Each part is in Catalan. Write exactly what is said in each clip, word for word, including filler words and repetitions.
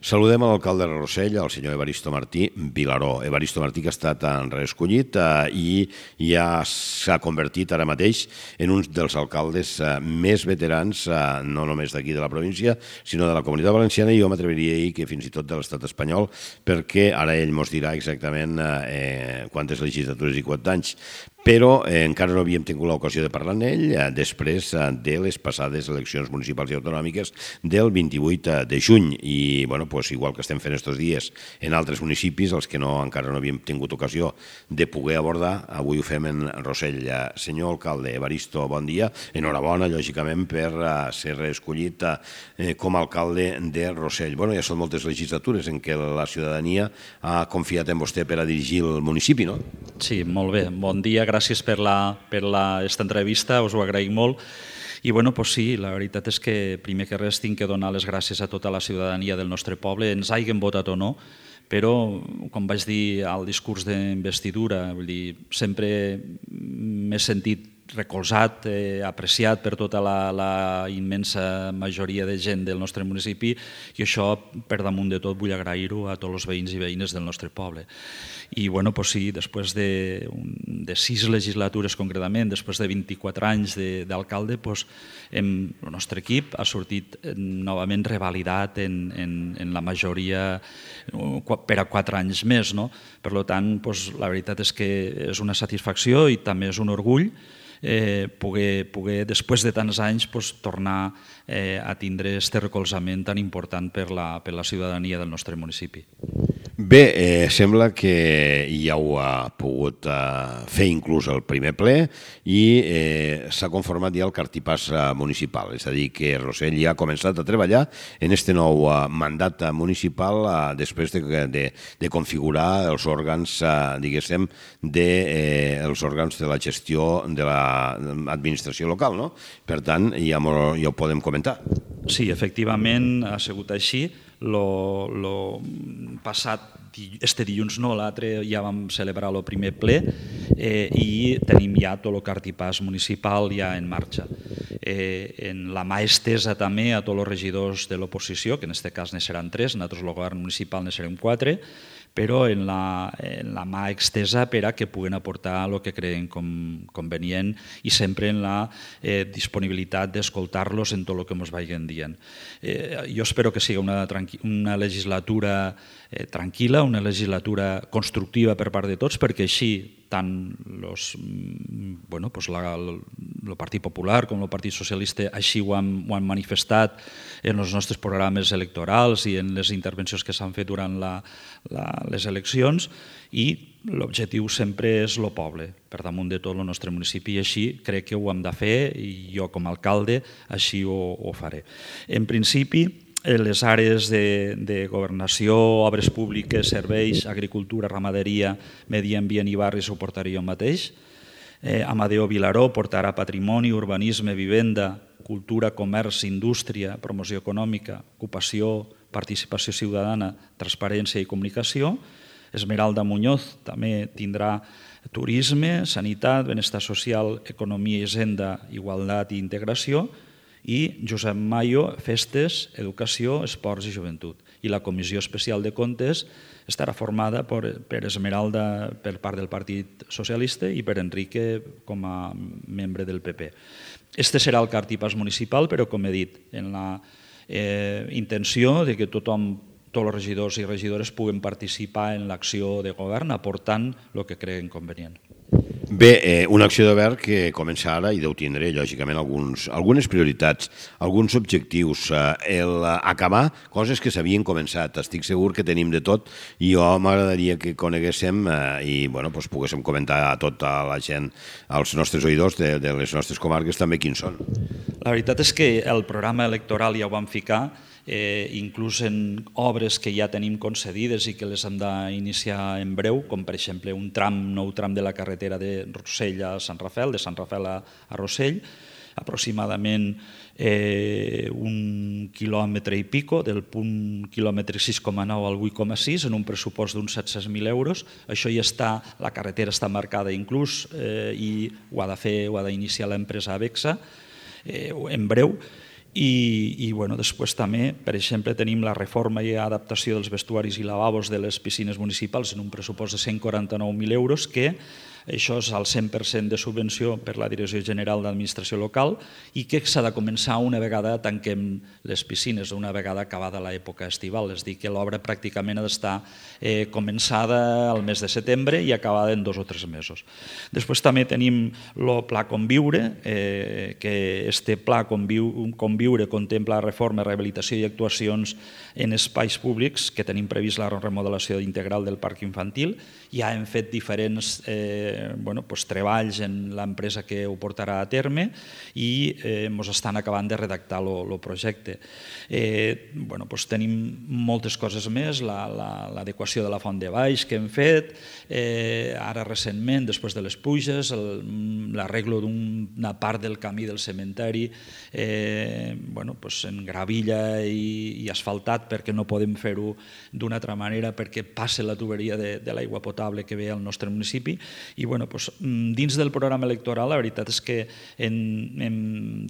Saludem a l'alcalde de Rossell, el senyor Evaristo Martí Vilaró. Evaristo Martí, que ha estat reescollit i ja s'ha convertit ara mateix en un dels alcaldes més veterans, no només d'aquí de la província, sinó de la Comunitat Valenciana, i jo m'atreviria a dir que fins i tot de l'estat espanyol, perquè ara ell ens dirà exactament eh, quantes legislatures i quants anys. Però eh, encara no havíem tingut l'ocasió de parlar amb ell eh, després eh, de les passades eleccions municipals i autonòmiques del vint-i-vuit de juny. I, bueno, pues, igual que estem fent estos dies en altres municipis, els que no, encara no havíem tingut ocasió de poder abordar, avui ho fem en Rossell. Eh, senyor alcalde Evaristo, bon dia. Enhorabona, lògicament, per eh, ser reescollit eh, com a alcalde de Rossell. Bueno, ja són moltes legislatures en què la ciutadania ha confiat en vostè per a dirigir el municipi, no? Sí, molt bé. Bon dia, gràcies per la, per la, esta entrevista, us ho agraïm molt. I bueno, pues sí, la veritat és que primer que res tinc que donar les gràcies a tota la ciutadania del nostre poble, ens hagin votat o no, però, com vaig dir al discurs d'investidura, vull dir, sempre m'he sentit recolzat, eh, apreciat per tota la, la immensa majoria de gent del nostre municipi, i això, per damunt de tot, vull agrair-ho a tots els veïns i veïnes del nostre poble. I bueno, pues sí, després de, de sis legislatures concretament, després de vint-i-quatre anys d'alcalde, pues, hem, el nostre equip ha sortit novament revalidat en, en, en la majoria per a quatre anys més. No? Per tant, pues, la veritat és que és una satisfacció i també és un orgull eh, poder, poder, després de tants anys, pues, tornar eh, a tindre aquest recolzament tan important per la, per la ciutadania del nostre municipi. Bé, eh, sembla que ja ho ha pogut eh, fer inclús el primer ple i eh, s'ha conformat ja el cartipàs eh, municipal, és a dir, que Rossell ja ha començat a treballar en aquest nou eh, mandat municipal eh, després de, de, de configurar els òrgans, eh, diguéssim, de, eh, els òrgans de la gestió de l'administració local, no? Per tant, ja, ja ho podem comentar. Sí, efectivament ha sigut així. Lo, lo passat, este dilluns no, l'altre ja vam celebrar el primer ple eh, i tenim ja tot el cartipàs municipal ja en marxa. Eh, en la mà estesa també a tots els regidors de l'oposició, que en aquest cas ne seran tres, nosaltres el govern municipal ne serem quatre, però en la, en la mà extesa per a que puguen aportar el que creen com, convenient i sempre en la eh, disponibilitat d'escoltar-los en tot el que ens vagin dient. Eh, jo espero que sigui una, una legislatura eh, tranquil·la, una legislatura constructiva per part de tots, perquè així tant los, bueno, pues la, el Partit Popular com el Partit Socialista així ho han, ho han manifestat en els nostres programes electorals i en les intervencions que s'han fet durant la, la, les eleccions, i l'objectiu sempre és el poble, per damunt de tot el nostre municipi, i així crec que ho hem de fer i jo com a alcalde així ho, ho faré. En principi, les àrees de, de governació, obres públiques, serveis, agricultura, ramaderia, medi ambient i barris ho portaré jo mateix. Eh, Amadeo Vilaró portarà patrimoni, urbanisme, vivenda, cultura, comerç, indústria, promoció econòmica, ocupació, participació ciutadana, transparència i comunicació. Esmeralda Muñoz també tindrà turisme, sanitat, benestar social, economia i hisenda, igualtat i integració. I Josep Mayo, festes, educació, esports i joventut. I la Comissió Especial de Comptes estarà formada per, per Esmeralda per part del Partit Socialista i per Enrique com a membre del P P. Este serà el cartipàs municipal, però com he dit, en la eh, intenció de que tothom, tots els regidors i regidores puguen participar en l'acció de govern aportant el que creen convenient. Bé, eh, una acció de govern que comença ara i deu tindre, lògicament, alguns, algunes prioritats, alguns objectius, eh, el acabar coses que s'havien començat. Estic segur que tenim de tot i jo m'agradaria que coneguéssim eh, i bueno, doncs poguéssim comentar a tota la gent, als nostres oïdors de, de les nostres comarques també quins són. La veritat és que el programa electoral ja ho vam ficar, Eh, inclús en obres que ja tenim concedides i que les hem d'iniciar en breu, com per exemple un tram, nou tram de la carretera de Rossell a Sant Rafel, de Sant Rafel a, a Rossell, aproximadament eh, un quilòmetre i pico, del punt quilòmetre sis coma nou al vuit coma sis, en un pressupost d'uns set-cents mil euros. Això ja està, la carretera està marcada inclús eh, i ho ha de fer, ho ha d'iniciar l'empresa Abexa eh, en breu. I, i bueno, després també, per exemple, tenim la reforma i adaptació dels vestuaris i lavabos de les piscines municipals en un pressupost de cent quaranta-nou mil euros, que això és al cent per cent de subvenció per la Direcció General d'Administració Local i que s'ha de començar una vegada tanquem les piscines, una vegada acabada l'època estival. És a dir, que l'obra pràcticament ha d'estar eh, començada al mes de setembre i acabada en dos o tres mesos. Després també tenim el Pla Conviure, eh, que este Pla Conviure contempla la reforma, rehabilitació i actuacions en espais públics, que tenim previst la remodelació integral del parc infantil. Ja hem fet diferents eh, bueno, pues, treballs en l'empresa que ho portarà a terme i ens eh, estan acabant de redactar el projecte. Eh, bueno, pues, tenim moltes coses més, l'adequació la, la, de la font de baix que hem fet, eh, ara recentment, després de les pluges, l'arreglo d'una part del camí del cementeri eh, bueno, pues, en gravilla i, i asfaltat, perquè no podem fer-ho d'una altra manera, perquè passa la tuberia de, de l'aigua potable que ve al nostre municipi. I bueno, doncs, dins del programa electoral la veritat és que en, en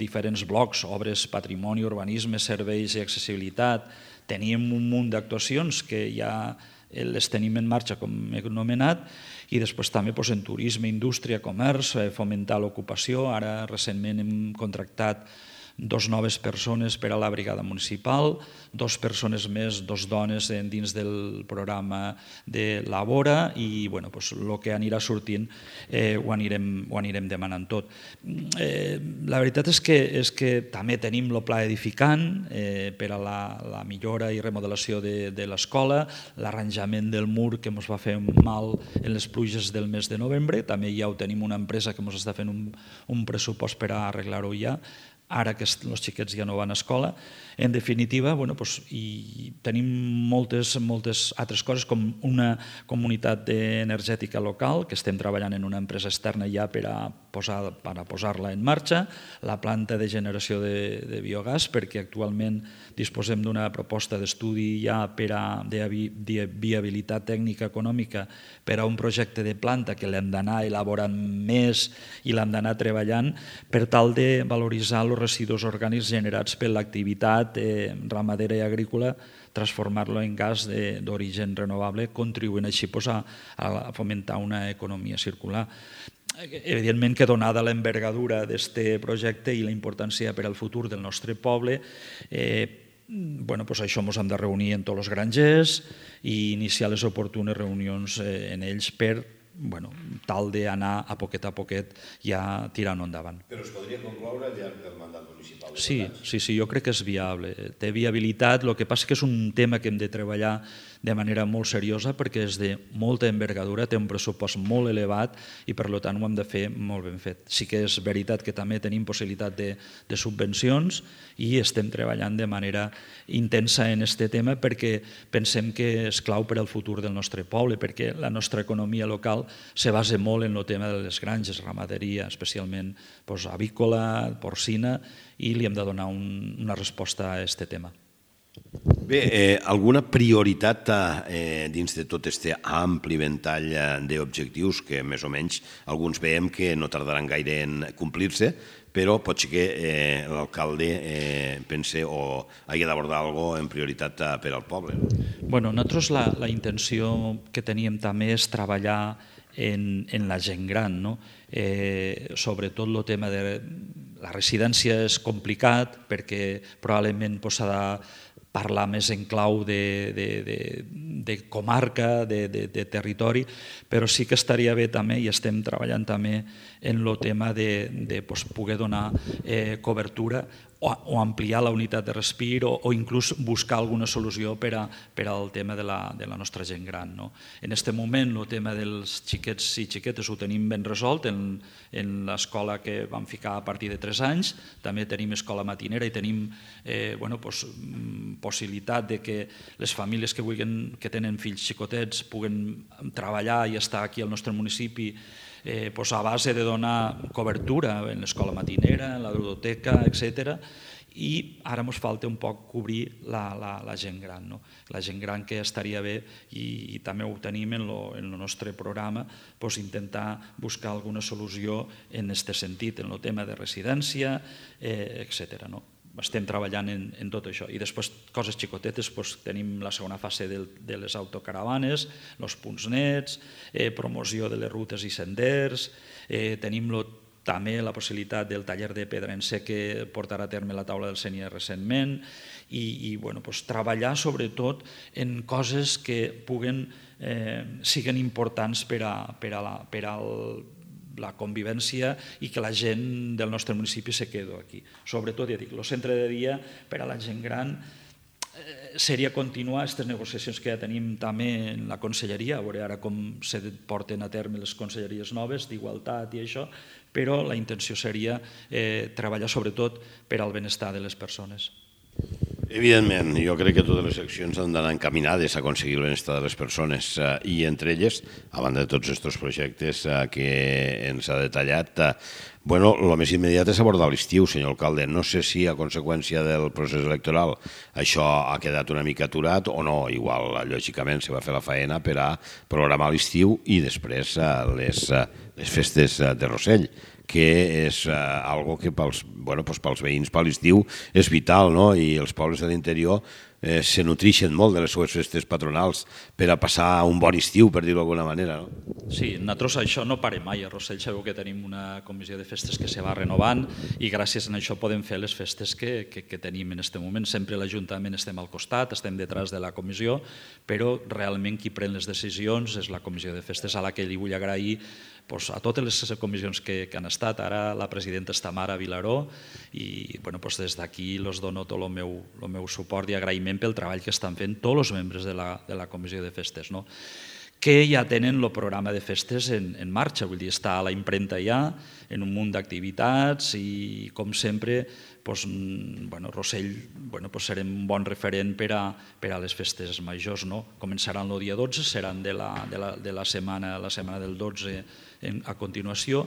diferents blocs, obres, patrimoni, urbanisme, serveis i accessibilitat, teníem un munt d'actuacions que ja les tenim en marxa, com he anomenat, i després també doncs, en turisme, indústria, comerç, fomentar l'ocupació. Ara recentment hem contractat dos noves persones per a la brigada municipal, dos persones més, dos dones dins del programa de Labora i bueno, pues, el que anirà sortint eh, ho, anirem, ho anirem demanant tot. Eh, la veritat és que, és que també tenim el pla edificant eh, per a la, la millora i remodelació de, de l'escola, l'arranjament del mur que ens va fer mal en les pluges del mes de novembre, també ja ho tenim una empresa que ens està fent un, un pressupost per a arreglar-ho ja, ara que els xiquets ja no van a escola. En definitiva, bueno, doncs, i tenim moltes, moltes altres coses, com una comunitat energètica local, que estem treballant en una empresa externa ja per a posar, per a posar-la en marxa, la planta de generació de, de biogàs, perquè actualment disposem d'una proposta d'estudi ja per a, de, de viabilitat tècnica econòmica per a un projecte de planta que l'hem d'anar elaborant més i l'hem d'anar treballant per tal de valoritzar els residus orgànics generats per l'activitat eh, ramadera i agrícola, transformar-lo en gas d'origen renovable, contribuint així pues, a, a fomentar una economia circular. Evidentment que donada l'envergadura d'aquest projecte i la importància per al futur del nostre poble, eh, bueno, pues això ens hem de reunir en tots els grangers i iniciar les oportunes reunions eh, en ells per bueno, tal d'anar a poquet a poquet ja tirant endavant. Però es podria concloure al llarg del mandat municipal? Sí, sí, sí, jo crec que és viable. Té viabilitat, el que passa que és un tema que hem de treballar de manera molt seriosa perquè és de molta envergadura, té un pressupost molt elevat i per tant ho hem de fer molt ben fet. Sí que és veritat que també tenim possibilitat de, de subvencions i estem treballant de manera intensa en aquest tema perquè pensem que és clau per al futur del nostre poble, perquè la nostra economia local se basa molt en el tema de les granges, ramaderia, especialment doncs, avícola, porcina, i li hem de donar un, una resposta a aquest tema. Bé, eh, alguna prioritat eh, dins de tot aquest ampli ventall d'objectius que més o menys alguns veiem que no tardaran gaire en complir-se, però pot ser que eh, l'alcalde eh, pense o hagi d'abordar alguna cosa en prioritat per al poble. Bueno, nosaltres la, la intenció que teníem també és treballar en, en la gent gran, no? Eh, sobretot el tema de la residència és complicat perquè probablement s'ha de parlar més en clau de, de, de, de comarca, de, de, de territori, però sí que estaria bé també, i estem treballant també en el tema de, de pues, poder donar eh, cobertura o, o ampliar la unitat de respir o, o inclús buscar alguna solució per, a, per al tema de la, de la nostra gent gran. No? En aquest moment el tema dels xiquets i xiquetes ho tenim ben resolt en, en l'escola que vam ficar a partir de tres anys, també tenim escola matinera i tenim eh, bueno, pues, possibilitat de que les famílies que, vulguin, que tenen fills xicotets puguen treballar i estar aquí al nostre municipi eh, pues a base de donar cobertura en l'escola matinera, en la ludoteca, etcètera. I ara ens falta un poc cobrir la, la, la gent gran. No? La gent gran que estaria bé, i, i també ho tenim en el nostre programa, pues intentar buscar alguna solució en aquest sentit, en el tema de residència, eh, etcètera. No? estem treballant en, en tot això. I després, coses xicotetes, doncs, tenim la segona fase de, de les autocaravanes, els punts nets, eh, promoció de les rutes i senders, eh, tenim lo, també la possibilitat del taller de pedra en sec que portarà a terme la taula del Sénia recentment, i, i bueno, doncs, treballar sobretot en coses que puguen, eh, siguen importants per a, per a la, per al la convivència i que la gent del nostre municipi se quedi aquí. Sobretot, ja dic, el centre de dia per a la gent gran eh, seria continuar aquestes negociacions que ja tenim també en la conselleria, a veure ara com se porten a terme les conselleries noves d'igualtat i això, però la intenció seria eh, treballar sobretot per al benestar de les persones. Evidentment, jo crec que totes les accions han d'anar encaminades a aconseguir el benestar de les persones eh, i entre elles, a banda de tots aquests projectes eh, que ens ha detallat, eh, bueno, el més immediat és abordar l'estiu, senyor alcalde. No sé si a conseqüència del procés electoral això ha quedat una mica aturat o no. Igual, lògicament, se va fer la faena per a programar l'estiu i després eh, les, eh, les festes de Rossell, que és eh, algo que pels, bueno, doncs pels veïns, per l'estiu, és vital, no? I els pobles de l'interior eh, se nutreixen molt de les seves festes patronals per a passar un bon estiu, per dir-ho d'alguna manera, no? Sí, nosaltres això no parem mai. A Rossell sabeu que tenim una comissió de festes que se va renovant i gràcies a això podem fer les festes que, que, que tenim en aquest moment. Sempre l'Ajuntament estem al costat, estem detrás de la comissió, però realment qui pren les decisions és la comissió de festes, a la que li vull agrair a totes les comissions que han estat. Ara la presidenta és Tamara Vilaró i des d'aquí els dono tot el meu suport i agraïment pel treball que estan fent tots els membres de la comissió de festes, que ja tenen el programa de festes en marxa, vull dir, està a la impremta ja, en un munt d'activitats i, com sempre, Rossell serem un bon referent per a les festes majors. Començaran el dia dotze, seran de la setmana del dotze a continuació,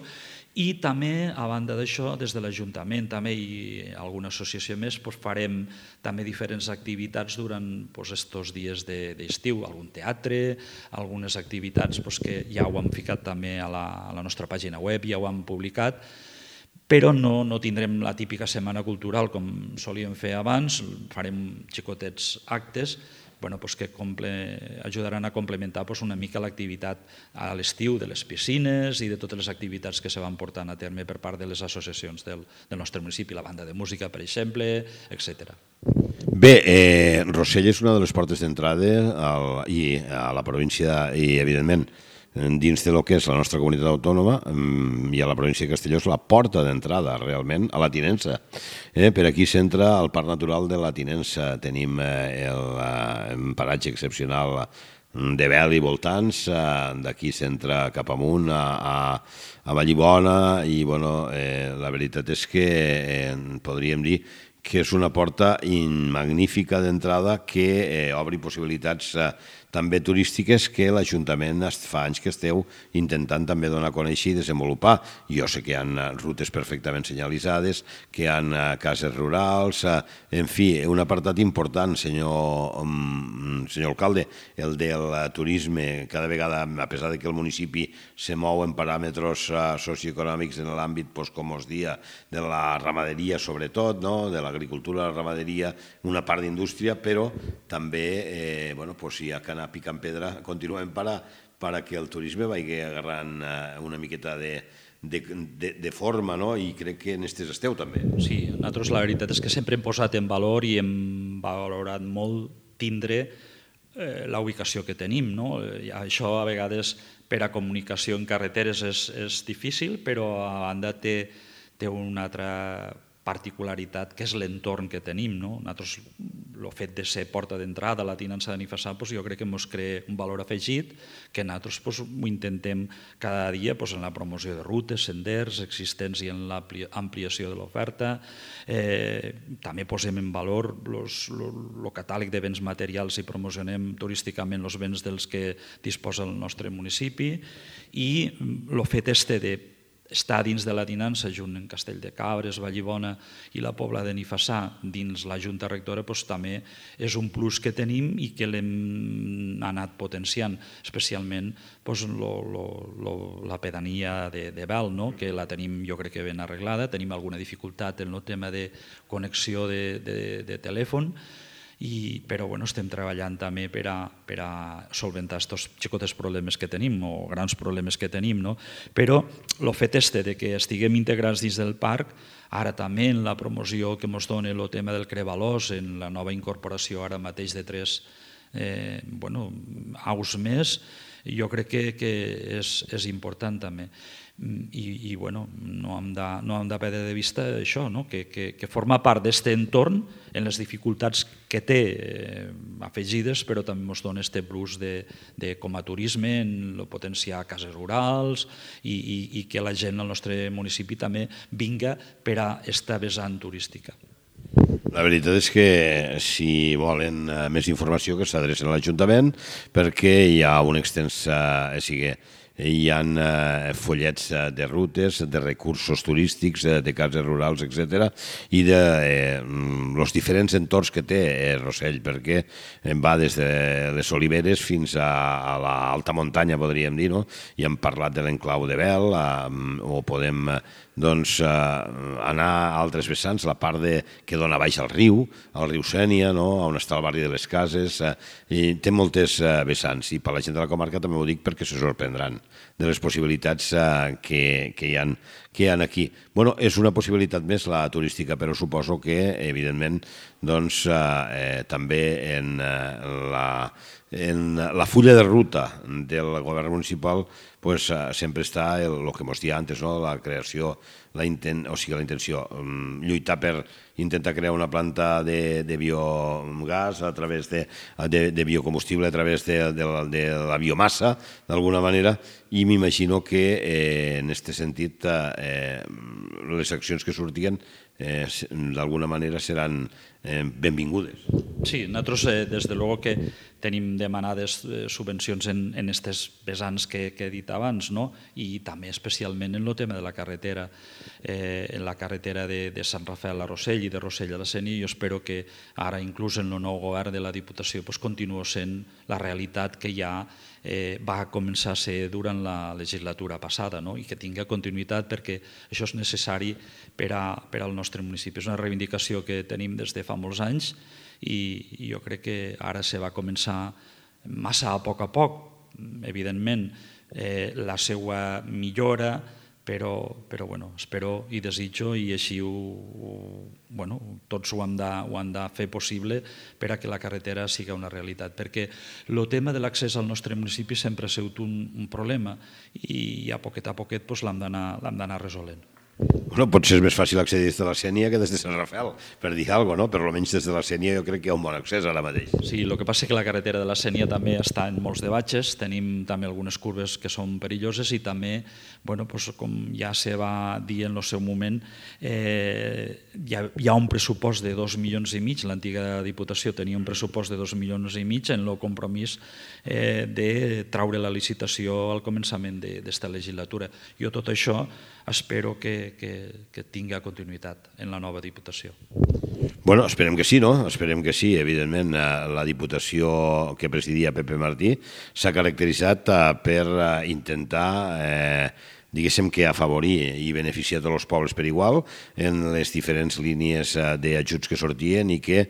i també, a banda d'això, des de l'Ajuntament i alguna associació més, farem també diferents activitats durant aquests dies d'estiu, algun teatre, algunes activitats que ja ho hem ficat també a la nostra pàgina web, ja ho hem publicat, però no tindrem la típica setmana cultural com solíem fer abans, farem xicotets actes que ajudaran a complementar una mica l'activitat a l'estiu de les piscines i de totes les activitats que se van portant a terme per part de les associacions del nostre municipi, la banda de música, per exemple, etcètera. Bé, Rossell és una de les portes d'entrada a la província i, evidentment, dins del que és la nostra comunitat autònoma i a la província de Castelló és la porta d'entrada realment a la Tinença. Per aquí s'entra el Parc Natural de la Tinença. Tenim el paratge excepcional de Vel i voltants, d'aquí s'entra cap amunt a Vallibona i la veritat és que podríem dir que és una porta magnífica d'entrada que obri possibilitats també turístiques que l'Ajuntament fa anys que esteu intentant també donar a conèixer i desenvolupar. Jo sé que hi ha rutes perfectament senyalitzades, que hi ha cases rurals, en fi, un apartat important, senyor alcalde, el del turisme. Cada vegada, a pesar que el municipi se mou en paràmetres socioeconòmics en l'àmbit, com us dia, de la ramaderia sobretot, de l'agricultura, la ramaderia, una part d'indústria, però també hi ha que anar picant pedra continuem perquè el turisme vagi agarrant una miqueta de forma i crec que en aquestes esteu també. Sí, nosaltres la veritat és que sempre hem posat en valor i hem valorat molt tindre la ubicació que tenim. Això a vegades per a comunicació en carreteres és difícil, però a banda té una altra particularitat que és l'entorn que tenim. Nosaltres, el fet de ser porta d'entrada a la Tinença de Benifassà, jo crec que ens crea un valor afegit que nosaltres ho intentem cada dia en la promoció de rutes, senders existents i en l'ampliació de l'oferta. També posem en valor el catàleg de béns materials i promocionem turísticament els béns dels que disposa el nostre municipi i el fet este de està dins de la dinança, junt amb Castell de Cabres, Vallibona i la Pobla de Nifassà, dins la Junta Rectora, doncs, també és un plus que tenim i que l'hem anat potenciant, especialment doncs, lo, lo, lo, la pedania de, de Vel, no? Que la tenim jo crec que ben arreglada, tenim alguna dificultat en el tema de connexió de, de, de telèfon, I, però bueno, estem treballant també per a, per a solventar aquests xicotes problemes que tenim o grans problemes que tenim, no? Però el fet este de que estiguem integrats dins del parc, ara també en la promoció que ens dona el tema del Crevalós, en la nova incorporació ara mateix de tres eh, bueno, aus més, jo crec que, que és, és important també. I, i bueno, no hem de, no hem de perdre de vista això, no? que, que, que forma part d'aquest entorn en les dificultats que té eh, afegides, però també ens dona aquest plus de, de com a turisme, en el potenciar cases rurals i, i, i que la gent al nostre municipi també vinga per a esta vessant turística. La veritat és que si volen més informació que s'adrecen a l'Ajuntament perquè hi ha un extens... Eh, sigui, hi ha eh, follets de rutes, de recursos turístics, eh, de cases rurals, etcètera, i de eh, los diferents entorns que té eh, Rossell, perquè va des de les oliveres fins a, a l'alta muntanya, podríem dir, no? I hem parlat de l'enclau de Vel, eh, o podem doncs, eh, anar a altres vessants, la part de, que dona baix al riu, al riu Sénia, no? On està el barri de les Cases, eh, i té moltes eh, vessants, i per la gent de la comarca també ho dic perquè se sorprendran de les possibilitats eh, que, que, hi ha, que hi ha aquí. Bueno, és una possibilitat més la turística, però suposo que, evidentment, doncs, eh, també en, eh, la, en la fulla de ruta del govern municipal pues, eh, sempre està el, el que mos dia antes, no? La creació, la intent, o sigui, la intenció, um, lluitar per intentar crear una planta de, de biogàs a través de, de, de biocombustible, a través de, de, de la biomassa, d'alguna manera, i m'imagino que eh, en aquest sentit eh, les accions que sortien eh, d'alguna manera seran eh, benvingudes. Sí, nosaltres eh, des de luego que tenim demanades eh, subvencions en aquestes vessants que, que he dit abans, no? I també especialment en el tema de la carretera, eh, en la carretera de, de Sant Rafael a Rossell i de Rossell a la Sénia. Jo espero que ara inclús en el nou govern de la Diputació pues, continuï sent la realitat que ja eh, va començar a ser durant la legislatura passada, no? I que tingui continuïtat perquè això és necessari per, a, per al nostre municipi. És una reivindicació que tenim des de fa molts anys i jo crec que ara se va començar massa a poc a poc, evidentment, eh, la seva millora, però, però bueno, espero i desitjo i així ho, ho, bueno, tots ho hem, de, ho hem de fer possible per a que la carretera sigui una realitat, perquè el tema de l'accés al nostre municipi sempre ha sigut un, un problema i a poquet a poquet pues, l'hem d'anar resolent. Bueno, potser és més fàcil accedir des de la Sénia que des de Sant Rafael, per dir alguna cosa, no? Però almenys des de la Sénia jo crec que hi ha un bon accés ara mateix. Sí, el que passa és que la carretera de la Sénia també està en molts de batxes, tenim també algunes curves que són perilloses i també, bueno, doncs, com ja se va dir en el seu moment, eh, hi, ha, hi ha un pressupost de dos milions i mig, l'antiga Diputació tenia un pressupost de dos milions i mig en el compromís eh, de traure la licitació al començament d'esta legislatura. Jo tot això espero que, que, que tingui continuïtat en la nova Diputació. Bueno, esperem que sí, no? Esperem que sí. Evidentment, la Diputació que presidia Pepe Martí s'ha caracteritzat per intentar eh, diguéssim que afavorir i beneficiar tots els pobles per igual en les diferents línies d'ajuts que sortien i que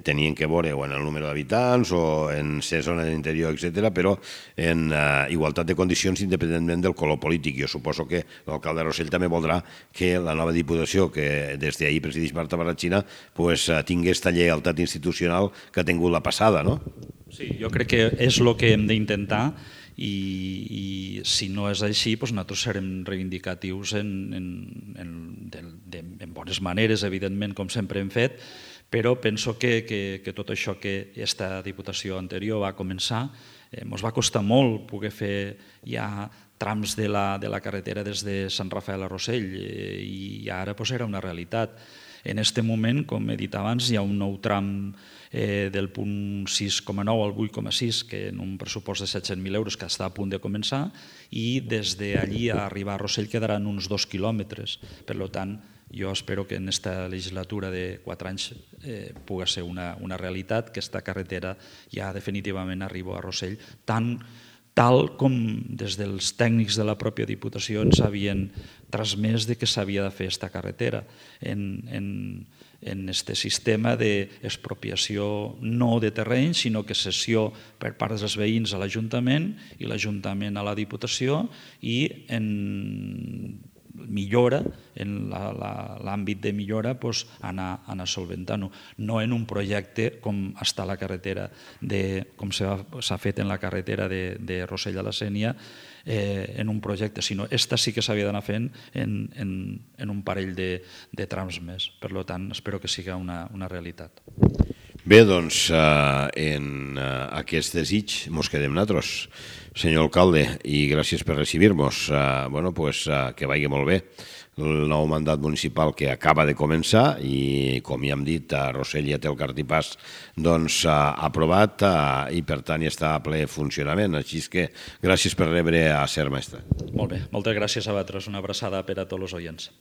tenien que veure o en el número d'habitants o en ser zona de l'interior, etcètera, però en uh, igualtat de condicions independentment del color polític. Jo suposo que l'alcalde de Rossell també voldrà que la nova Diputació, que des d'ahir presideix Marta Barratxina, pues, uh, tingui aquesta lleialtat institucional que ha tingut la passada, no? Sí, jo crec que és el que hem d'intentar i, i si no és així, doncs nosaltres serem reivindicatius en, en, en, de, de, en bones maneres, evidentment, com sempre hem fet, però penso que, que, que tot això que aquesta Diputació anterior va començar, eh, ens va costar molt poder fer ja trams de la, de la carretera des de Sant Rafael a Rossell eh, i ara doncs, era una realitat. En aquest moment, com he dit abans, hi ha un nou tram eh, del punt sis coma nou al vuit coma sis, que en un pressupost de set-cents mil euros que està a punt de començar, i des d'allí a arribar a Rossell quedaran uns dos quilòmetres. Per tant, jo espero que en aquesta legislatura de quatre anys eh, pugui ser una, una realitat, que aquesta carretera ja definitivament arriba a Rossell, tant tal com des dels tècnics de la pròpia Diputació ens havien transmès de que s'havia de fer aquesta carretera en, en, en este sistema d'expropiació no de terreny, sinó que cessió per part dels veïns a l'Ajuntament i l'Ajuntament a la Diputació, i en millora, en l'àmbit de millora, anar solventant-ho. No en un projecte com està la carretera, com s'ha fet en la carretera de Rossell a la Sénia, en un projecte, sinó esta sí que s'havia d'anar fent en un parell de trams més. Per tant, espero que sigui una realitat. Bé, doncs, en aquest desig mos quedem nosaltres, senyor alcalde, i gràcies per recibir-nos. Bueno, doncs que vagi molt bé el nou mandat municipal que acaba de començar i, com ja hem dit, a Rossell ja té el cartipàs aprovat i, per tant, ja està a ple funcionament. Així que gràcies per rebre a Ser Mestre. Molt bé, moltes gràcies a vosaltres. Una abraçada per a tots els oients.